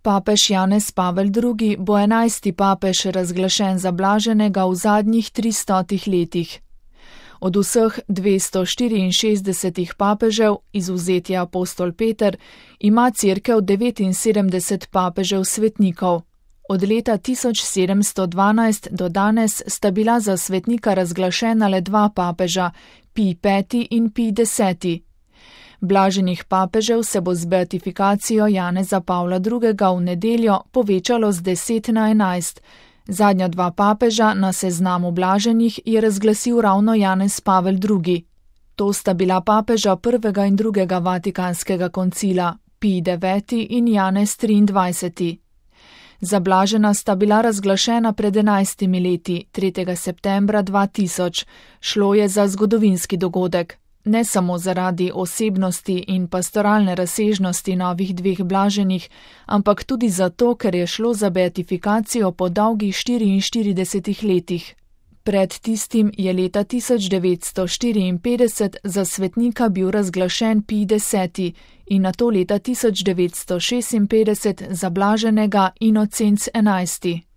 Papež Janez Pavel II. Bo 11. papež razglašen za blaženega v zadnjih 300 letih. Od vseh 264 papežev, izvzet je apostol Peter, ima Cerkev 79 papežev svetnikov. Od leta 1712 do danes sta bila za svetnika razglašena le 2 papeža, Pij V. in Pij X. Blaženih papežev se bo z beatifikacijo Janeza Pavla II. V nedeljo povečalo z 10 na 11. Zadnja 2 papeža na seznamu blaženih je razglasil ravno Janez Pavel II. To sta bila papeža prvega in drugega vatikanskega koncila, Pij IX. In Janez XXIII. Zablažena sta bila razglašena pred 11 leti, 3. septembra 2000. Šlo je za zgodovinski dogodek. Ne samo zaradi osebnosti in pastoralne razsežnosti novih 2 blaženih, ampak tudi zato, ker je šlo za beatifikacijo po dolgih 44 letih. Pred tistim je leta 1954 za svetnika bil razglašen Pij X. In nato leta 1956 za blaženega Inocenc XI.